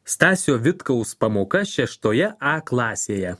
Stasio Vitkaus pamoka 6 A klasėje.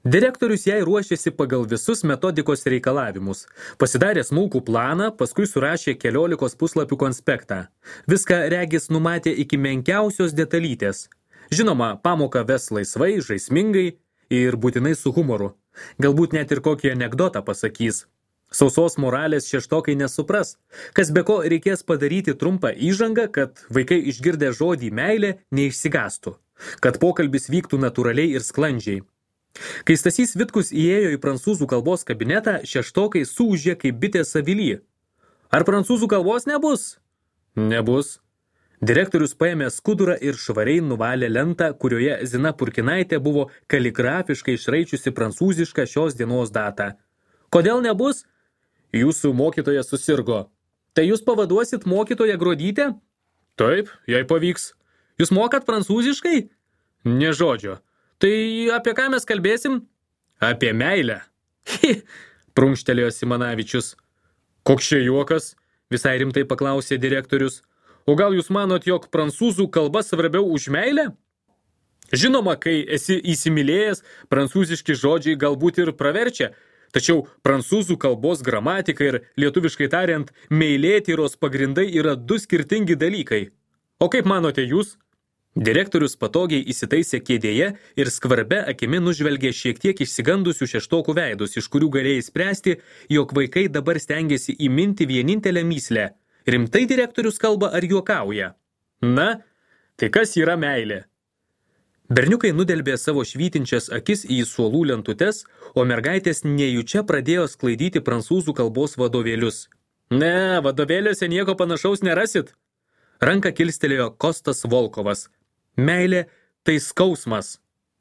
Direktorius jai ruošėsi pagal visus metodikos reikalavimus. Pasidarė smulkų planą, paskui surašė 14 puslapių konspektą. Viską regis numatė iki menkiausios detalytės. Žinoma, pamoką ves laisvai, žaismingai ir būtinai su humoru. Galbūt net ir kokį anekdotą pasakys. Sausos moralės šeštokai nesupras. Kas be ko reikės padaryti trumpą įžangą, kad vaikai išgirdę žodį meilė neišsigastų. Kad pokalbis vyktų natūraliai ir sklandžiai. Kai Stasys Vitkus įėjo į prancūzų kalbos kabinetą, šeštokai suūžė kaip bitės avily. Ar prancūzų kalbos nebus? Nebus. Direktorius paėmė skudurą ir švariai nuvalė lentą, kurioje Zina Purkinaitė buvo kaligrafiškai išraičiusi prancūzišką šios dienos datą. Kodėl nebus? Jūsų mokytoja susirgo. Tai jūs pavaduosit mokytoją Gruodytę? Taip, jei pavyks. Jūs mokat prancūziškai? Nė žodžio. Tai apie ką mes kalbėsim? Apie meilę. Prunkštelėjo Simanavičius. Koks čia juokas? Visai rimtai paklausė direktorius. O gal jūs manot, jog prancūzų kalba svarbiau už meilę? Žinoma, kai esi įsimylėjęs, prancūziški žodžiai galbūt ir praverčia. Tačiau prancūzų kalbos gramatika ir lietuviškai tariant, meilėtyros pagrindai yra du skirtingi dalykai. O kaip manote jūs? Direktorius patogiai įsitaisė kėdėje ir skvarbia akimi nužvelgė šiek tiek išsigandusių šeštokų veidus, iš kurių galėjai spręsti, jog vaikai dabar stengiasi įminti vienintelę mįslę. Rimtai direktorius kalba ar juokauja? Na, tai kas yra meilė? Berniukai nudelbė savo švytinčias akis į suolų lentutes, o mergaitės nejučia pradėjo sklaidyti prancūzų kalbos vadovėlius. Ne, vadovėliuose nieko panašaus nerasit. Ranką kilstelėjo Kostas Volkovas. Meilė tai skausmas.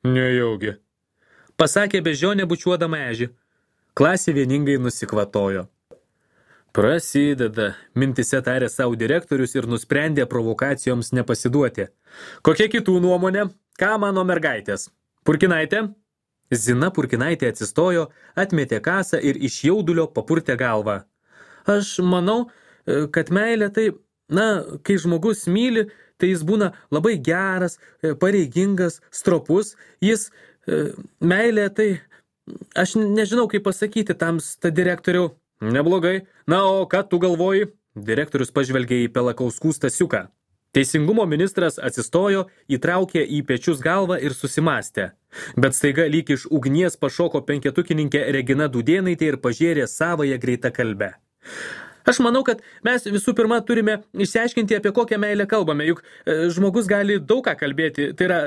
Nejaugi. Pasakė bežionė bučiuodama ežį. Klasė vieningai nusikvatojo. Prasideda, mintise tarė savo direktorius ir nusprendė provokacijoms nepasiduoti. Kokia kitų nuomonė? Ką mano mergaitės? Purkinaitė? Zina Purkinaitė atsistojo, atmetė kasą ir iš jaudulio papurtė galvą. Aš manau, kad meilė tai, kai žmogus myli, tai jis būna labai geras, pareigingas, stropus. Meilė tai, aš nežinau kaip pasakyti tamsta direktoriau. Neblogai. Na, o ką tu galvoji? Direktorius pažvelgė į Pelakauskų Stasiuką. Teisingumo ministras atsistojo, įtraukė į pečius galvą ir susimastė. Bet staiga lyg iš ugnies pašoko penketukininkė Regina Dudėnaitė ir pažėrė savąją greitakalbę. Aš manau, kad mes visų pirma turime išsiaiškinti, apie kokią meilę kalbame, juk žmogus gali daug ką kalbėti, tai yra,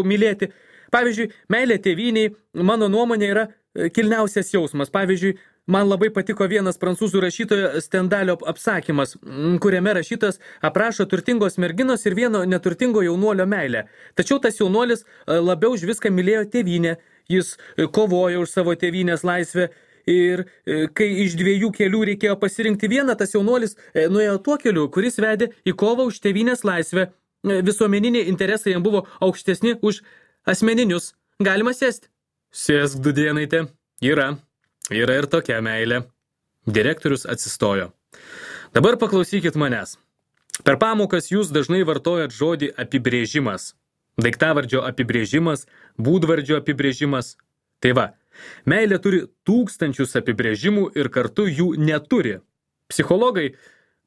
mylėti. Pavyzdžiui, meilė tėvynei, mano nuomonė, yra kilniausias jausmas. Pavyzdžiui, man labai patiko vienas prancūzų rašytojo Stendalio apsakymas, kuriame rašytas aprašo turtingos merginos ir vieno neturtingo jaunuolio meilę. Tačiau tas jaunuolis labiau už viską mylėjo tėvynę, jis kovojo už savo tėvynės laisvę ir kai iš dviejų kelių reikėjo pasirinkti vieną, tas jaunuolis nuėjo tuo keliu, kuris vedė į kovą už tėvynės laisvę. Visuomeniniai interesai jam buvo aukštesni už asmeninius. Galima sėsti? Sėsk, Dudėnaitė. Yra ir tokia meilė. Direktorius atsistojo. Dabar paklausykit manęs. Per pamokas jūs dažnai vartojat žodį apibrėžimas. Daiktavardžio apibrėžimas, būdvardžio apibrėžimas. Tai va, meilė turi tūkstančius apibrėžimų ir kartu jų neturi. Psichologai,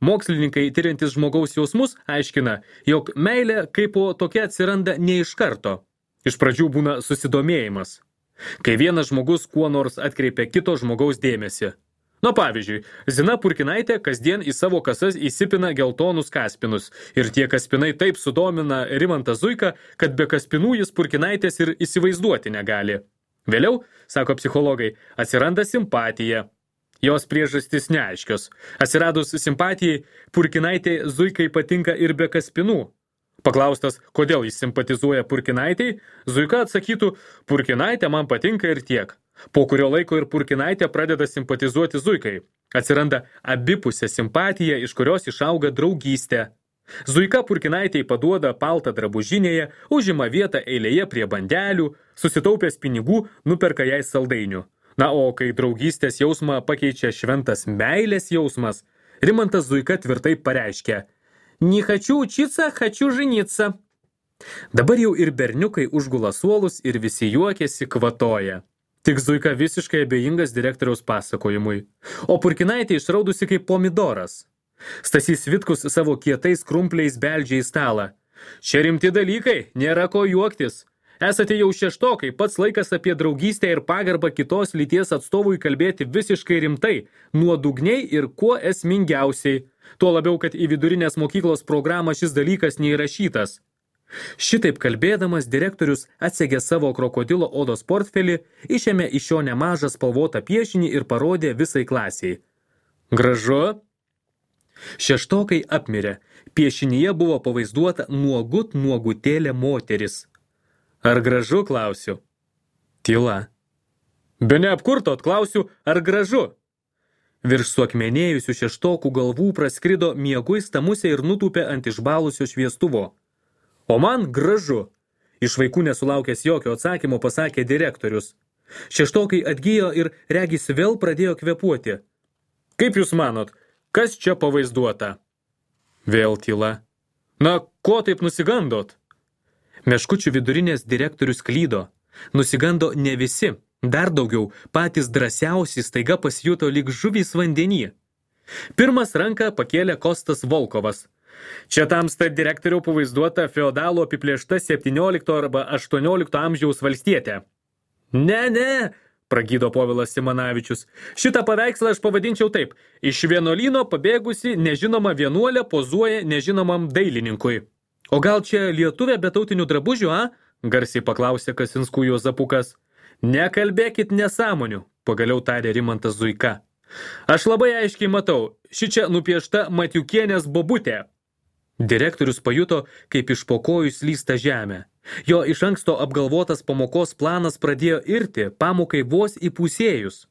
mokslininkai tiriantys žmogaus jausmus aiškina, jog meilė kaip po tokia atsiranda ne iš karto. Iš pradžių būna susidomėjimas. Kai vienas žmogus kuo nors atkreipia kito žmogaus dėmesį. Pavyzdžiui, Zina Purkinaitė kasdien į savo kasas įsipina geltonus kaspinus ir tie kaspinai taip sudomina Rimantą Zuiką, kad be kaspinų jis Purkinaitės ir įsivaizduoti negali. Vėliau, sako psichologai, atsiranda simpatija. Jos priežastys neaiškios. Atsiradus simpatijai, Purkinaitė Zuikai patinka ir be kaspinų. Paklaustas, kodėl jis simpatizuoja Purkinaitei, Zuika atsakytų, Purkinaitė man patinka ir tiek. Po kurio laiko ir Purkinaitė pradeda simpatizuoti Zuikai. Atsiranda abipusė simpatija, iš kurios išauga draugystė. Zuika Purkinaitei paduoda paltą drabužinėje, užima vietą eilėje prie bandelių, susitaupęs pinigų, nuperka jai saldainių. O kai draugystės jausmą pakeičia šventas meilės jausmas, Rimantas Zuika tvirtai pareiškia, Не хочу учиться, хочу жениться. Dabar jau ir berniukai užgula suolus ir visi juokiasi, kvatoja. Tik Zuika visiškai abejingas direktoriaus pasakojimui. O Purkinaitė išraudusi kaip pomidoras. Stasys Vitkus savo kietais krumpliais beldžia į stalą. Čia rimti dalykai, nėra ko juoktis. Esate jau šeštokai, pats laikas apie draugystę ir pagarbą kitos lyties atstovui kalbėti visiškai rimtai, nuodugniai ir kuo esmingiausiai. Tuo labiau, kad į vidurinės mokyklos programą šis dalykas neįrašytas. Šitaip kalbėdamas direktorius atsegė savo krokodilo odos portfelį, išėmė iš jo nemažą spalvotą piešinį ir parodė visai klasiai. Gražu? Šeštokai apmirė. Piešinyje buvo pavaizduota nuogutėlė moteris. Ar gražu, klausiu? Tyla. Be neapkurtot, klausiu, ar gražu? Virš suakmenėjusių šeštokų galvų praskrido mieguista musė ir nutūpė ant išbalusio šviestuvo. O man gražu. Iš vaikų nesulaukęs jokio atsakymo pasakė direktorius. Šeštokai atgijo ir regis vėl pradėjo kvėpuoti. Kaip jūs manot, kas čia pavaizduota? Vėl tyla. Na, ko taip nusigandot? Meškučių vidurinės direktorius klydo. Nusigando ne visi. Dar daugiau, patys drąsiausi staiga pasijuto lyg žuvys vandenį. Pirmas ranką pakėlė Kostas Volkovas. Čia tamsta direktoriau pavaizduota feodalo apiplėšta 17 arba 18 amžiaus valstietė. Ne, pragydo Povilas Simanavičius. Šitą paveikslą aš pavadinčiau taip. Iš vienuolyno pabėgusi nežinoma vienuolė pozuoja nežinomam dailininkui. O gal čia lietuvė be tautinių drabužių, a? Garsiai paklausė Kasinskų Juozapukas. Nekalbėkit nesąmonių, pagaliau tarė Rimantas Zuika. Aš labai aiškiai matau, šičia nupiešta Matiukienės bobutė. Direktorius pajuto, kaip iš po kojų slysta žemė. Jo iš anksto apgalvotas pamokos planas pradėjo irti, pamokai vos įpusėjus.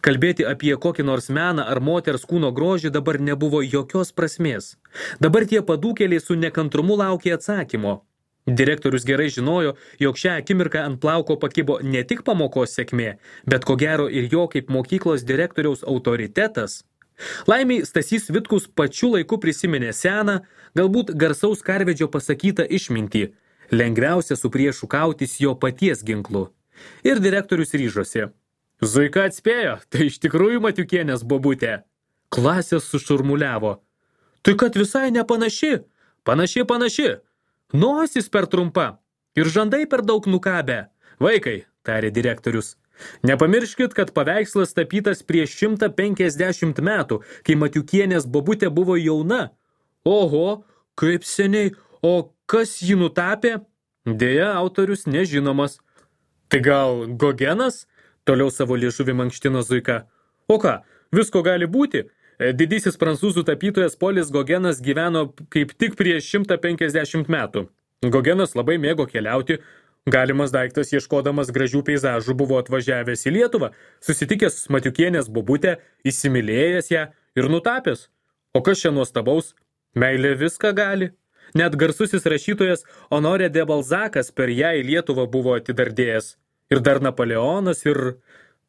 Kalbėti apie kokį nors meną ar moters kūno grožį dabar nebuvo jokios prasmės. Dabar tie padūkėliai su nekantrumu laukė atsakymo. Direktorius gerai žinojo, jog šią akimirką ant plauko pakibo ne tik pamokos sėkmė, bet ko gero ir jo kaip mokyklos direktoriaus autoritetas. Laimiai Stasys Vitkus pačiu laiku prisiminė seną, galbūt garsaus karvedžio pasakytą išmintį. Lengviausia su priešu kautis jo paties ginklu. Ir direktorius ryžosi. Zuika atspėjo, tai iš tikrųjų Matiukienės bobutė. Klasės sušurmuliavo. Tai kad visai nepanaši. Panaši. Nosis per trumpa. Ir žandai per daug nukabę. Vaikai, tarė direktorius. Nepamirškit, kad paveikslas tapytas prieš 150 metų, kai Matiukienės bobutė buvo jauna. Oho, kaip seniai. O kas jį nutapė? Deja, autorius nežinomas. Tai gal Gogenas? Toliau savo liežuvį mankštino Zuika. O ką, visko gali būti? Didysis prancūzų tapytojas Polis Gogenas gyveno kaip tik prieš 150 metų. Gogenas labai mėgo keliauti. Galimas daiktas ieškodamas gražių peizažų buvo atvažiavęs į Lietuvą, susitikęs Matiukienės bobutę, įsimylėjęs ją ir nutapęs. O kas čia nuostabaus? Meilė viską gali. Net garsusis rašytojas Honoré de Balzacas per ją į Lietuvą buvo atidardėjęs. Ir dar Napoleonas ir...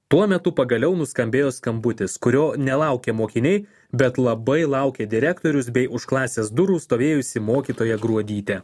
Tuo metu pagaliau nuskambėjo skambutis, kurio nelaukė mokiniai, bet labai laukė direktorius bei už klasės durų stovėjusi mokytoja Gruodytė.